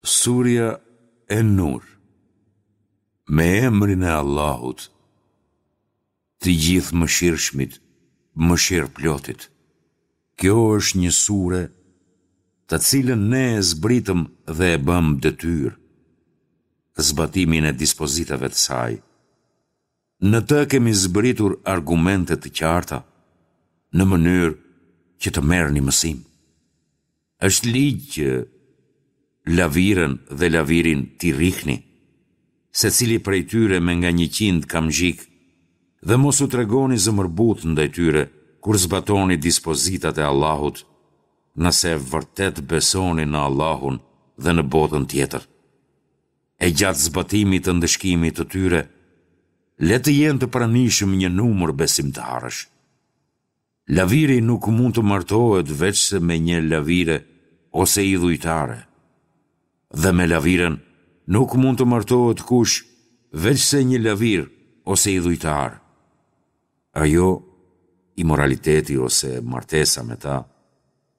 Surja En-Nur Me emrin e Allahut, të Gjithëmëshirshmit, Mëshirëplotit. Kjo është një sure të cilën ne e zbritëm dhe e bëmë detyrë zbatimin e dispozitave të saj. Në të kemi zbritur argumente të qarta, në mënyrë që të merrni mësim. Është ligj që laviren dhe lavirin t'i rrihni, secili prej tyre me nga 100 kamxhikë, dhe mos u tregoni zemërbutë ndaj tyre kur zbatoni dispozitat e Allahut, nëse vërtet besoni në Allahun dhe në botën tjetër. E gjatë zbatimit të ndëshkimit të tyre, le të jenë të pranishëm një numër besimtarësh. Laviri nuk mund të martohet veçse me një lavire ose idhujtare. Dhe me laviren nuk mund të martohet kush veçse një lavir ose idhujtar. Ajo, imoraliteti ose martesa me ta,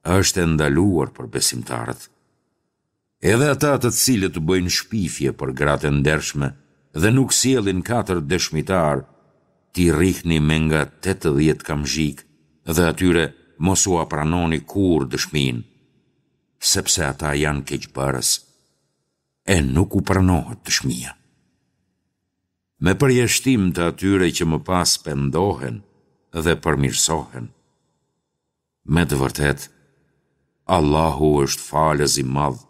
është e ndaluar për besimtarët. Edhe ata të cilët bëjnë shpifje për gratë e ndershme dhe nuk sjellin katër dëshmitarë, t'i rrihni me nga 80 kamxhikë dhe atyre mos ua pranoni kurrë dëshminë, sepse ata janë keqbërës, e nuk u pranohet dëshmia. Me përjashtim të atyre që më pas pendohen dhe përmirësohen. Me të vërtetë, Allahu është falës i madh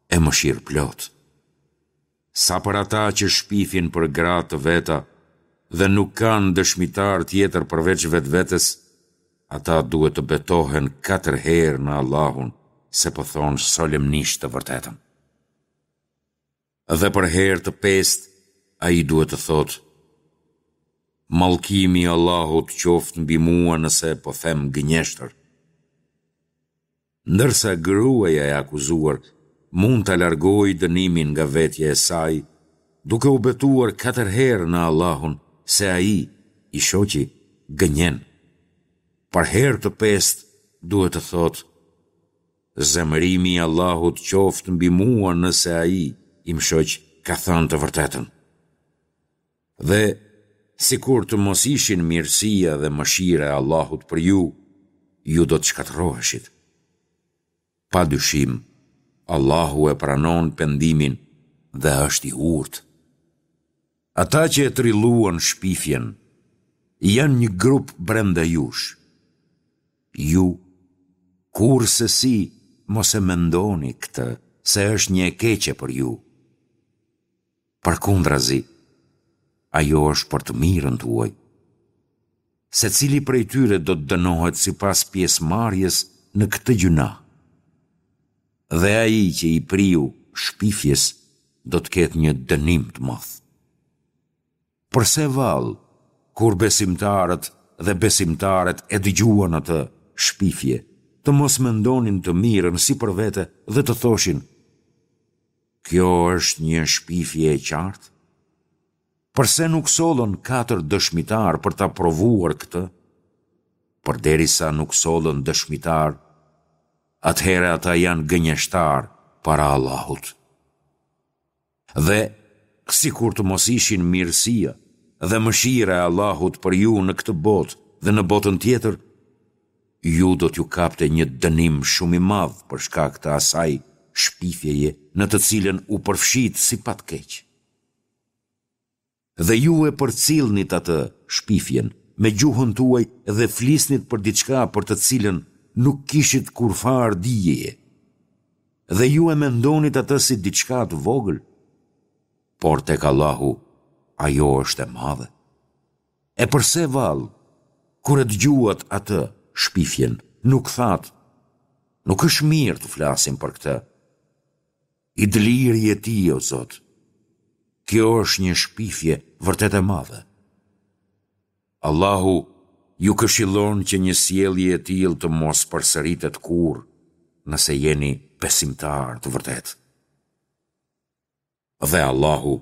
e mëshirëplotë. Sa për ata që shpifin për gra të veta dhe nuk kanë dëshmitar tjetër përveç vetvetes, ata duhet të betohen katër herë në Allahun se po thonë solemnisht të vërtetën. Dhe për herë të pestë ai duhet të thotë, Mallkimi i Allahut qoftë mbi mua nëse po them gënjeshtër. Ndërsa gruaja e akuzuar mund ta largojë dënimin nga vetja e saj, duke u betuar katër herë në Allahun se ai, i shoqi, gënjen. Për herë të pestë duhet të thotë, Zemërimi i Allahut qoftë mbi mua nëse ai, im shoq, ka thënë të vërtetën. Dhe, sikur të mos ishin mirësia dhe mëshira e Allahut për ju, ju do të shkatërroheshit. Pa dyshim, Allahu e pranon pendimin dhe është i urtë. Ata që e trilluan shpifjen, janë një grup brenda jush. Ju, kurrsesi mos e mendoni këtë se është një e keqe për ju. Përkundrazi, ajo është për të mirën tuaj. Secili prej tyre do të dënohet sipas pjesëmarrjes në këtë gjynah. Dhe ai që i priu shpifjes do të ketë një dënim të madh. Përse vallë, kur besimtarët dhe besimtaret e dëgjuan atë shpifje, të mos mendonin të mirën si për vete dhe të thoshin, Kjo është një shpifje e qartë? Përse nuk sollën katër dëshmitarë për ta provuar këtë? Përderisa nuk sollën dëshmitarë, atëherë ata janë gënjeshtarë para Allahut. Dhe, sikur të mos ishin mirësia dhe mëshira e Allahut për ju në këtë botë dhe në botën tjetër, ju do t'ju kapte një dënim shumë i madh për shkak të asaj shpifjeje në të cilën u përfshitë si pa të keq. Dhe ju e përcillnit atë, shpifjen, me gjuhën tuaj dhe flisnit për diçka për të cilën nuk kishit kurrfarë dijeje. Dhe ju e mendonit atë si diçka të vogël, por tek Allahu ajo është e madhe. E përse vallë, kur e dëgjuat atë, shpifjen, nuk thatë, nuk është mirë të flasim për këtë, I dëlirë je ti, o Zot. Kjo është një shpifje vërtet e madhe. Allahu ju këshillon që një sjellje e tillë të mos përsëritet kurrë, nëse jeni besimtarë të vërtetë. Dhe Allahu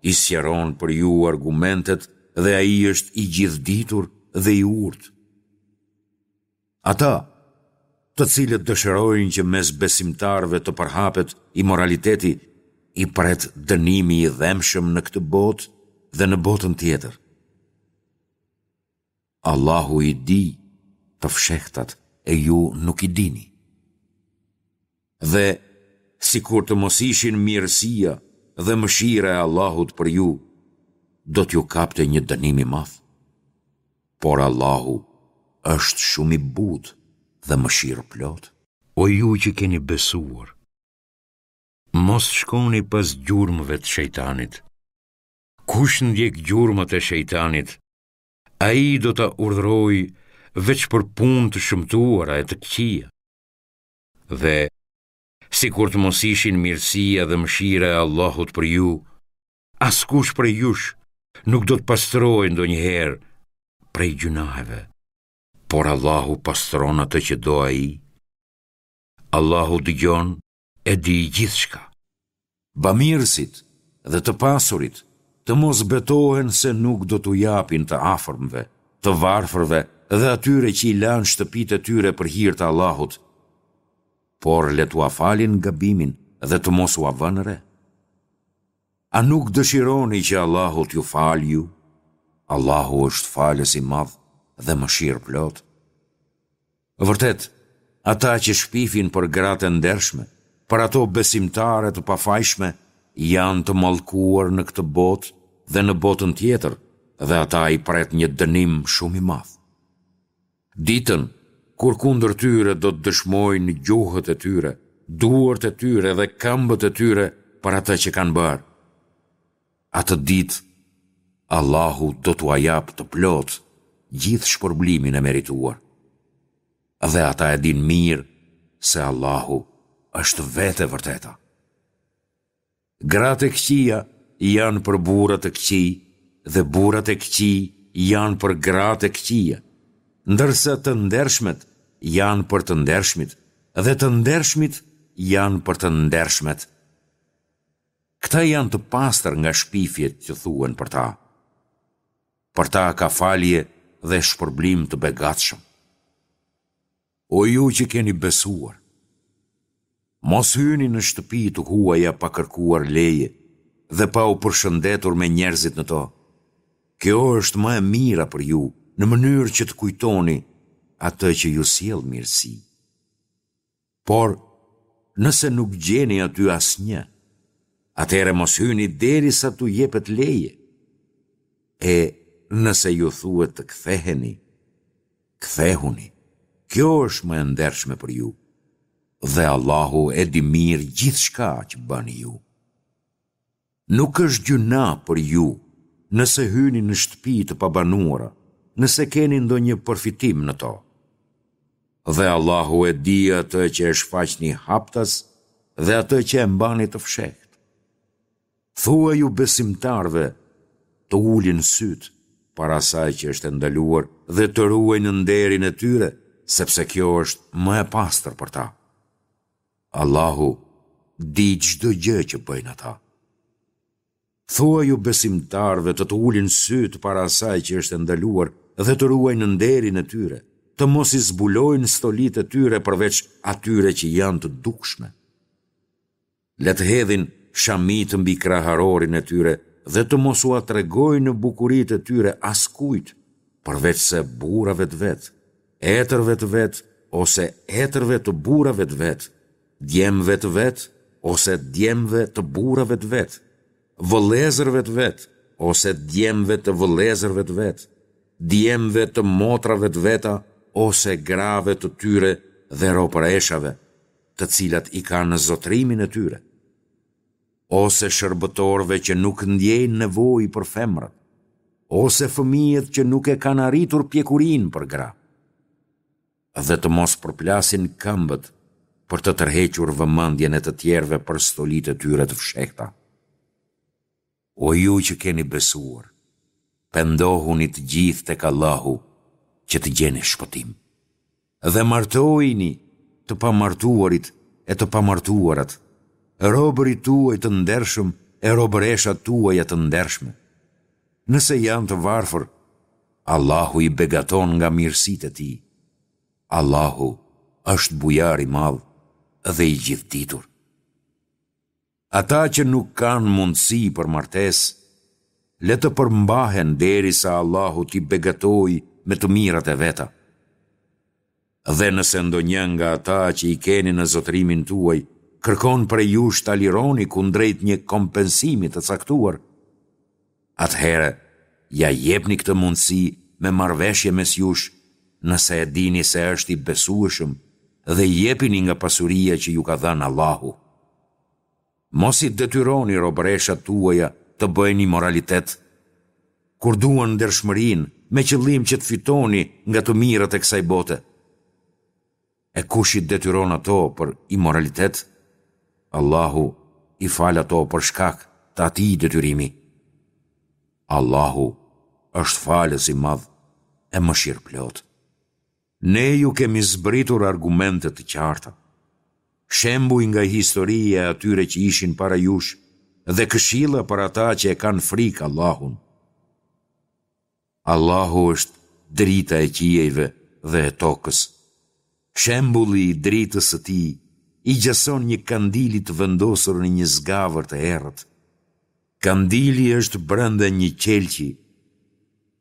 i sqaron për ju argumentet dhe Ai është i gjithëditur dhe i urtë. Ata. të cilët dëshirojnë që mes besimtarëve të përhapet imoraliteti, i pret dënimi i dhembshëm në këtë botë dhe në botën tjetër. Allahu i di të fshehtat e ju nuk i dini. Dhe, sikur të mos ishin mirësia dhe mëshira e Allahut për ju, do t'ju kapte një dënim i madh. Por Allahu është shumë i butë dhe mëshirëplotë. O ju që keni besuar, mos shkoni pas gjurmëve të shejtanit. Kush ndjek gjurmët e shejtanit, ai do ta urdhërojë veç për punë të shëmtuara e të këqija. Dhe, sikur të mos ishin mirësia dhe mëshira e Allahut për ju, askush prej jush nuk do të pastrohej ndonjëherë prej gjynaheve. Por Allahu pastron atë që do Ai. Allahu dëgjon e di gjithçka. Bamirësit dhe të pasurit të mos betohen se nuk do t'u japin të afërmve, të varfërve dhe atyre që i lanë shtëpitë e tyre për hir të Allahut, por le t'ua falin gabimin dhe të mos ua vënë re. A nuk dëshironi që Allahu t'ju falë ju? Allahu është falës i madh dhe mëshirëplotë. Vërtet, ata që shpifin për gratë e ndershme, për ato besimtare të pafajshme, janë të mallkuar në këtë botë dhe në botën tjetër dhe ata i pret një dënim shumë i madh. Ditën, kur kundër tyre do të dëshmojnë gjuhët e tyre, duart e tyre dhe këmbët e tyre për atë që kanë bërë. Atë ditë, Allahu do t'ua japë të plotë gjithë shpërblimin e merituar. Dhe ata e dinë mirë se Allahu është vetë e vërteta. Gratë e këqija janë për burra të këqij dhe burrat e këqij janë për gratë e këqija, ndërsa të ndershmet janë për të ndershmit dhe të ndershmit janë për të ndershmet. Këta janë të pastër nga shpifjet që thuhen për ta. Për ta ka falje dhe shpërblim të begatshëm. O ju që keni besuar! Mos hyni në shtëpi të huaja pa kërkuar leje dhe pa u përshëndetur me njerëzit në to. Kjo është më e mira për ju, në mënyrë që të kujtoni atë që ju sjell mirësi. Por, nëse nuk gjeni aty asnjë, atëherë mos hyni derisa t'u jepet leje. E nëse ju thuhet të ktheheni, kthehuni. Kjo është më e ndershme për ju. Dhe Allahu e di mirë gjithçka që bëni ju. Nuk është gjynah për ju nëse hyni në shtëpi të pabanuara, nëse keni ndonjë përfitim në to. Dhe Allahu e di atë që e shfaqni haptas dhe atë që e mbani të fshehtë. Thuaju besimtarëve të ulin sytë para asaj që është e ndaluar dhe të ruajnë nderin e tyre, sepse kjo është më e pastër për ta. Allahu di çdo gjë që bëjnë ata. Thuaju besimtarëve të të ulin sytë para asaj që është e ndaluar dhe të ruajnë nderin e tyre, të mos i zbulojnë stolitë e tyre përveç atyre që janë të dukshme. Le të hedhin shamitë mbi kraharorin e tyre dhe të mos ua tregojnë bukuritë e tyre askujt, përveçse burrave të vet, etërve të vet ose etërve të burrave të vet, djemve të vet ose djemve të burrave të vet, vëllezërve të vet ose djemve të vëllezërve të vet, djemve të motrave të veta ose grave të tyre dhe robëreshave, të cilat i kanë në zotërimin e tyre, ose shërbëtorëve që nuk ndjejnë nevojë për femrat, ose fëmijët që nuk e kanë arritur pjekurinë për gra, dhe të mos përplasin këmbët për të tërhequr vëmendjen e të tjerëve për stolitë e tyre të fshehta. O ju që keni besuar, pendohuni të gjithë tek Allahu që të gjeni shpëtim. Dhe martojini të pamartuarit e të pamartuarat, robërit tuaj të ndershëm e robëreshat tuaja të ndershme. Nëse janë të varfër, Allahu i begaton nga mirësitë e Tij. Allahu. është Bujar i Madh dhe i Gjithëditur. Ata që nuk kanë mundësi për martesë, le të përmbahen derisa Allahu t'i begatojë me të mirat e veta. Dhe nëse ndonjë nga ata që i keni në zotërimin tuaj kërkon prej jush ta lironi kundrejt një kompensimi të caktuar, atëherë ia jepni këtë mundësi me marrëveshje mes jush nëse e dini se është i besueshëm dhe jepini nga pasuria që ju ka dhënë Allahu. Mos i detyroni robëreshat tuaja të bëjnë imoralitet, kur duan ndershmërinë me qëllim që të fitoni nga të mirat e kësaj bote. E kush i detyron ato për imoralitet, Allahu i fal ato për shkak të atij detyrimi. Allahu është Falës i Madh e Mëshirëplotë. Ne ju kemi zbritur argumente të qarta, shembuj nga historia e atyre që ishin para jush dhe këshilla për ata që e kanë frikë Allahun. Allahu është drita e qiejve dhe e tokës. Shembulli i dritës së tij i gjason një kandili të vendosur në një zgavër të errët. Kandili është brenda një qelqi,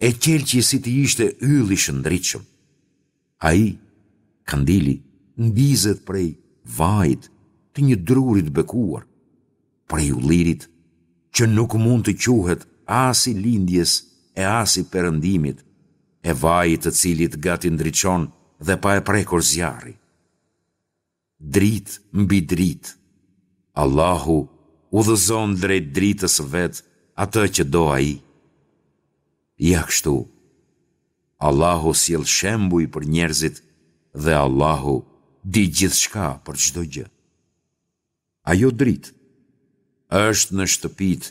e qelqi si të ishte yll i shndritshëm. Ai, kandili, ndizet prej vajit të një druri të bekuar, prej ullirit, që nuk mund të quhet as i lindjes e as i perëndimit, e vaji i të cilit gati ndriçon dhe pa e prekur zjarri. Dritë mbi dritë. Allahu udhëzon drejt dritës së vet atë që do Ai. Ja kështu, Allahu sjell shembuj për njerëzit dhe Allahu di gjithçka për çdo gjë. Ajo dritë është në shtëpitë,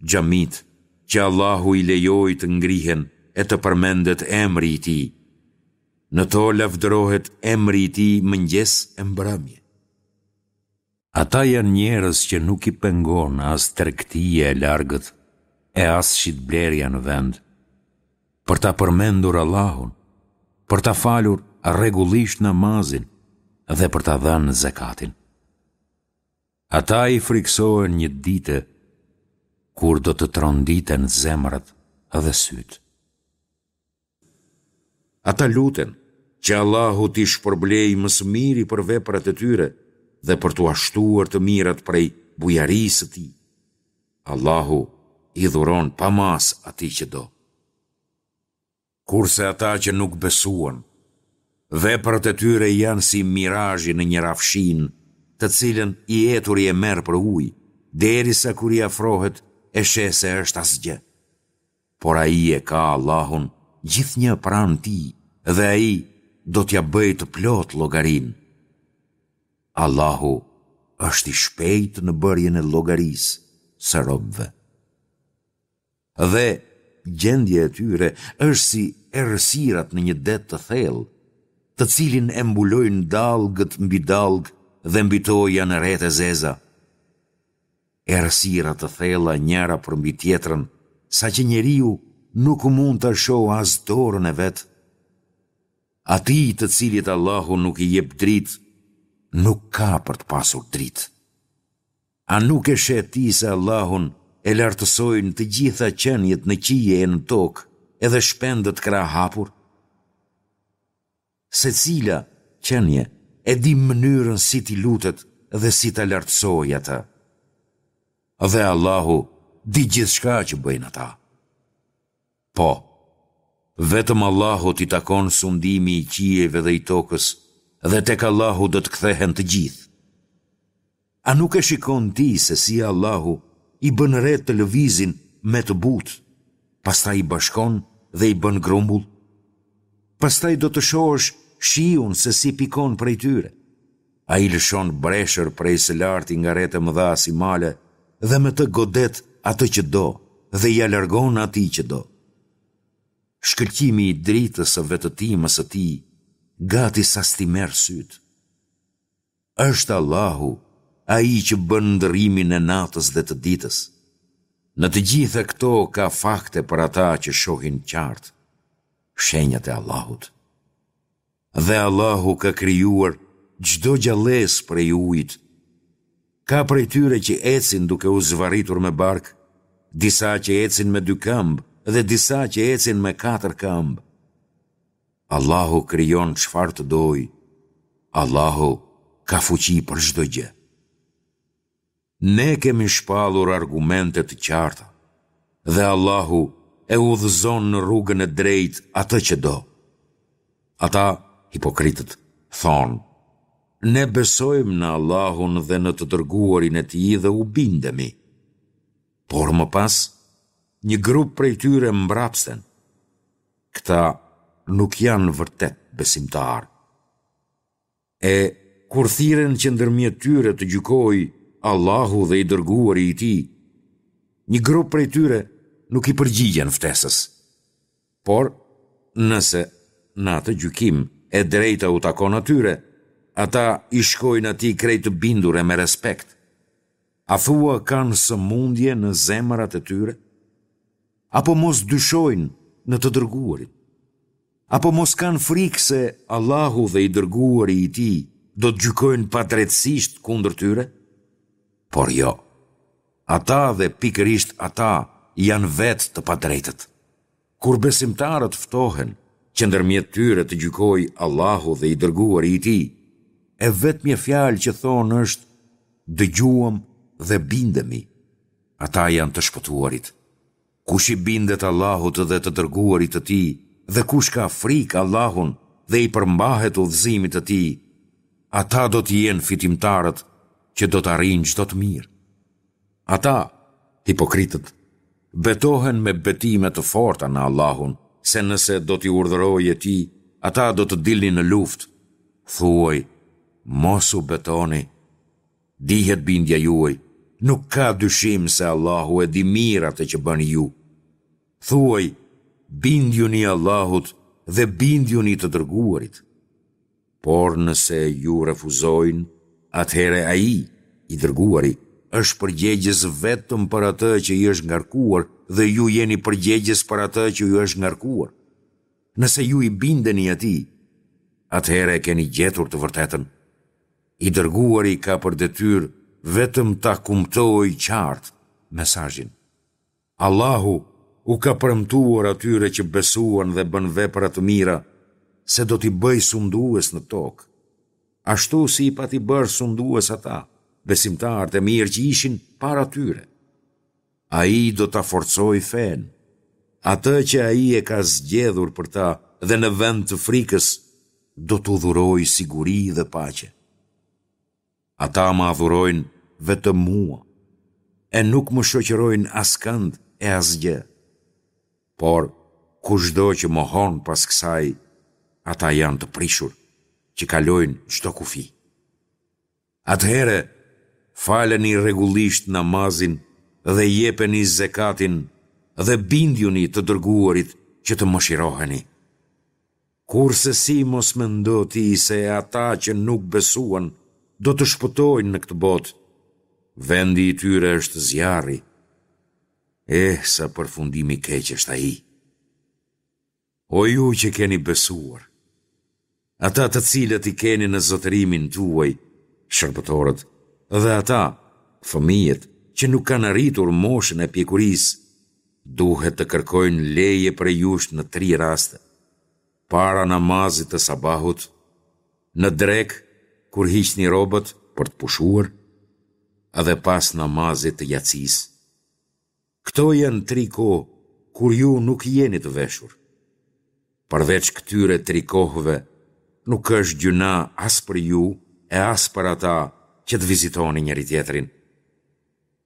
xhamitë, që Allahu i lejoi të ngrihen e të përmendet emri i Tij. Në to lavdërohet emri i Tij mëngjes e mbrëmje. Ata janë njerëz që nuk i pengon as tregtia e largët e as shitblerja në vend, për ta përmendur Allahun, për ta falur rregullisht namazin dhe për ta dhënë zekatin. Ata i frikësohen një dite kur do të tronditen zemrat dhe sytë. Ata luten që Allahu t'i shpërblejë më së miri për veprat e tyre dhe për t'ua shtuar të mirat prej bujarisë së Tij. Allahu i dhuron pa masë atij që do. Kurse ata që nuk besuan, veprat e tyre janë si mirazhi në një rrafshinë, të cilën i eturi e merr për ujë, derisa kur i afrohet e sheh se është asgjë. Por ai e ka Allahun gjithnjë pranë tij dhe Ai do t'ia bëjë të plotë llogarinë. Allahu është i shpejtë në bërjen e llogarisë së robëve. Dhe gjendja e tyre është si errësirat në një det të thellë, të cilin e mbulojnë dallgët mbi dallgë dhe mbi to janë retë e zeza. Errësira të thella njëra përmbi tjetrën, saqë njeriu nuk mund ta shohë as dorën e vet. Atij të cilit Allahu nuk i jep dritë, nuk ka për të pasur dritë. A nuk e sheh ti se Allahun e lartësojnë të gjitha qeniet në qiej e në tokë, edhe shpendët krahëhapur? Secila qenie e di mënyrën si t'i lutet dhe si ta lartësojë atë. Dhe Allahu di gjithçka që bëjnë ata. Po, vetëm Allahut i takon sundimi i qiejve dhe i tokës dhe tek Allahu do të kthehen të gjithë. A nuk e shikon ti se si Allahu i bën retë të lëvizin me të butë, pastaj i bashkon dhe i bën grumbull? Pastaj do të shohësh shiun se si pikon prej tyre. Ai lëshon breshër prej së larti nga retë e mëdha si male dhe me të godet atë që do dhe ia largon atij që do. Shkëlqimi i dritës së vetëtimës së tij gati sa s't'i merr sytë. Është Allahu, Ai që bën ndërrimin e natës dhe të ditës. Në të gjitha këto ka fakte për ata që shohin qartë, shenjat e Allahut. Dhe Allahu ka krijuar çdo gjallesë prej ujit. Ka prej tyre që ecin duke u zvarritur me bark, disa që ecin me dy këmbë dhe disa që ecin me katër këmbë. Allahu krijon çfarë të dojë. Allahu ka fuqi për çdo gjë. Ne kemi shpallur argumente të qarta dhe Allahu e udhëzon në rrugën e drejtë atë që do. Ata, hipokritët, thonë, Ne besojmë në Allahun dhe në të Dërguarin e Tij dhe u bindemi. Por më pas, një grup prej tyre mbrapsen. Këta nuk janë vërtet besimtarë. E, kur thirren që ndërmjet tyre të gjykojë Allahu dhe i Dërguari i Tij, një grup prej tyre nuk i përgjigjen ftesës. Por, nëse, në atë gjykim, e drejta u takon atyre, ata i shkojnë atij krejt të bindur e me respekt. A thua kanë sëmundje në zemrat e tyre? Apo mos dyshojnë në të Dërguarin? Apo mos kanë frikë se Allahu dhe i Dërguari i Tij do të gjykojnë padrejtësisht kundër tyre? Por jo. Ata dhe pikërisht ata janë vetë të padrejtët. Kur besimtarët ftohen që ndërmjet tyre të gjykojë Allahu dhe i Dërguari i Tij, e vetmja fjalë që thonë është dëgjuam dhe bindemi. Ata janë të shpëtuarit. Kush i bindet Allahut dhe të Dërguarit të Tij dhe kush ka frikë Allahun dhe i përmbahet udhëzimit të Tij, ata do të jenë fitimtarët që do të arrijnë çdo të mirë. Ata, hipokritët, betohen me betime të forta në Allahun se nëse do t'i urdhëroje ti, ata do të dilnin në luftë. Thuaj, mos u betoni, Dihet bindja juaj, nuk ka dyshim se Allahu e di mirë atë që bëni ju. Thuaj, bindjuni Allahut dhe bindjuni të dërguarit. Por nëse ju refuzojnë, atëherë ai, i dërguari, është përgjegjës vetëm për atë që i është ngarkuar dhe ju jeni përgjegjës për atë që ju është ngarkuar. Nëse ju i bindeni atij, atëherë e keni gjetur të vërtetën. I dërguari ka për detyrë vetëm ta kumtojë qartë mesazhin. Allahu u ka premtuar atyre që besuan dhe bënë vepra të mira se do t'i bëjë sundues në tokë, ashtu si i pati bërë sundues ata, besimtarët e mirë që ishin para tyre. Ai do ta forcojë fenë, atë që ai e ka zgjedhur për ta dhe në vend të frikës do t'u dhurojë siguri dhe paqe. Ata më adhurojnë vetëm mua e nuk më shoqërojnë askënd e asgjë. Por, kushdo që mohon pas kësaj, ata janë të prishur, që kalojnë çdo kufi. Atëherë, faleni rregullisht namazin dhe jepeni zekatin dhe bindjuni të Dërguarit që të mëshiroheni. Kurrsesi mos mendo ti se ata që nuk besuan do të shpëtojnë në këtë botë, vendi i tyre është zjarri. Eh, sa përfundim i keq është ai! O ju që keni besuar! Ata të cilët i keni në zotërimin tuaj, shërbëtorët, dhe ata, fëmijët, që nuk kanë arritur moshën e pjekurisë, duhet të kërkojnë leje prej jush në tri raste, para namazit të sabahut, në drekë, kur hiqni rrobat për të pushuar, dhe pas namazit të jacisë. Këto janë tri kohë kur ju nuk jeni të veshur. Përveç këtyre tri kohëve, nuk është gjynah as për ju e as për ata që të vizitoni njëri-tjetrin.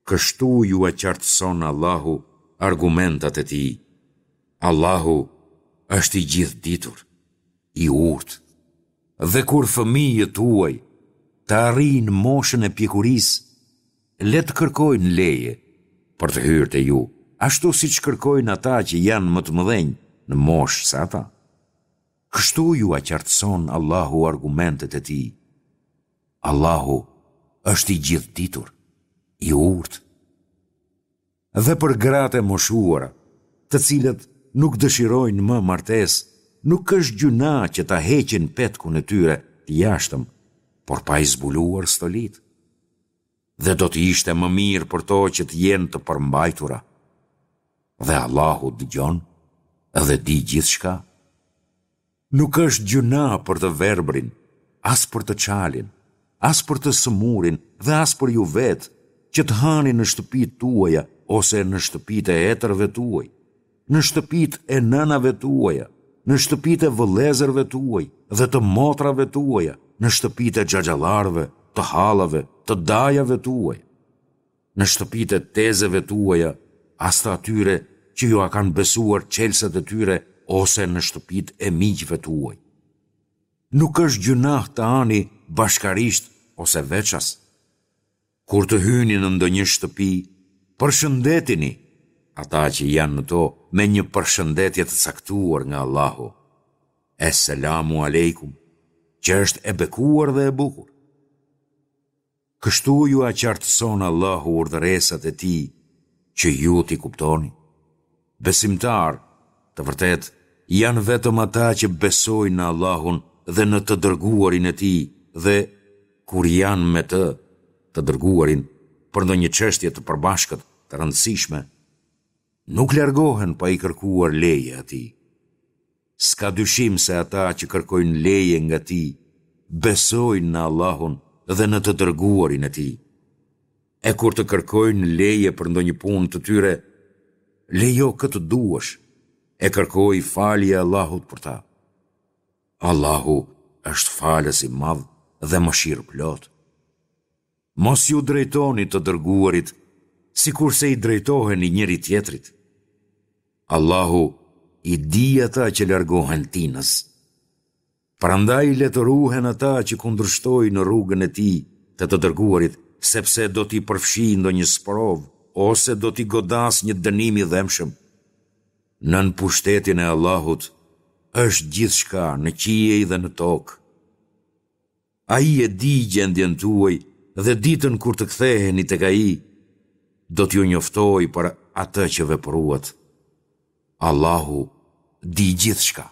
Kështu jua qartëson Allahu argumentat e Tij. Allahu është i gjithëditur, i urtë. Dhe kur fëmijët tuaj të arrijnë moshën e pjekurisë, Le të kërkojnë leje për të hyrë te ju, ashtu siç kërkojnë ata që janë më të mëdhenj në moshë se ata. Kështu jua qartëson Allahu argumentet e Tij. Allahu është i Gjithëditur, i Urtë. Dhe për gratë e moshuara, të cilat nuk dëshirojnë më martesë, nuk është gjynah që ta heqin petkun e tyre të jashtëm. por pa i zbuluar stolitë. Dhe do të ishte më mirë për to që të jenë të përmbajtura. Dhe Allahu dëgjon dhe di gjithçka. Nuk është gjynah për të verbrin, as për të çalin, as për të sëmurin dhe as për ju vetë, që të hani në shtëpitë tuaja ose në shtëpitë e etërve tuaj, në shtëpitë e nënave tuaja, në shtëpitë e vëllezërve tuaj dhe të motrave tuaja, në shtëpitë e xhaxhallarëve, të hallave, të dajave tuaj, në shtëpitë e tezeve tuaja, as të atyre që jua kanë besuar çelësat e tyre ose në shtëpitë e miqve tuaj. Nuk është gjynah të hani bashkarisht ose veças. Kur të hyni në ndonjë shtëpi, përshëndetini ata që janë në to me një përshëndetje të caktuar nga Allahu, Es-selamu alejkum, që është e bekuar dhe e bukur. Kështu jua qartëson Allahu urdhëresat e Tij që ju t'i kuptoni. Besimtarë, të vërtetë, janë vetëm ata që besojnë në Allahun dhe në të Dërguarin e Tij dhe, kur janë me të, të Dërguarin, për ndonjë çështje të përbashkët, të rëndësishme, nuk largohen pa i kërkuar leje atij. S'ka dyshim se ata që kërkojnë leje nga ti, besojnë në Allahun dhe në të Dërguarin e Tij. E kur të kërkojnë leje për ndonjë punë të tyre, lejo kë të duash, e kërkoji falje Allahut për ta. Allahu është Falës i madh dhe Mëshirëplotë. Mos iu drejtoni të dërguarit sikurse i drejtoheni njëri-tjetrit. Allahu i di ata që largohen tinëz. Prandaj le të ruhen ata që kundërshtojnë në rrugën e Tij të të dërguarit, sepse do t'i përfshijë ndonjë sprovë ose do t'i godasë një dënim i dhembshëm. Nën pushtetin e Allahut është gjithçka në qiej dhe në tokë. Ai e di gjendjen tuaj dhe ditën kur të ktheheni tek Ai, do t'ju njoftojë për atë që vepruat. Allahu di gjithçka.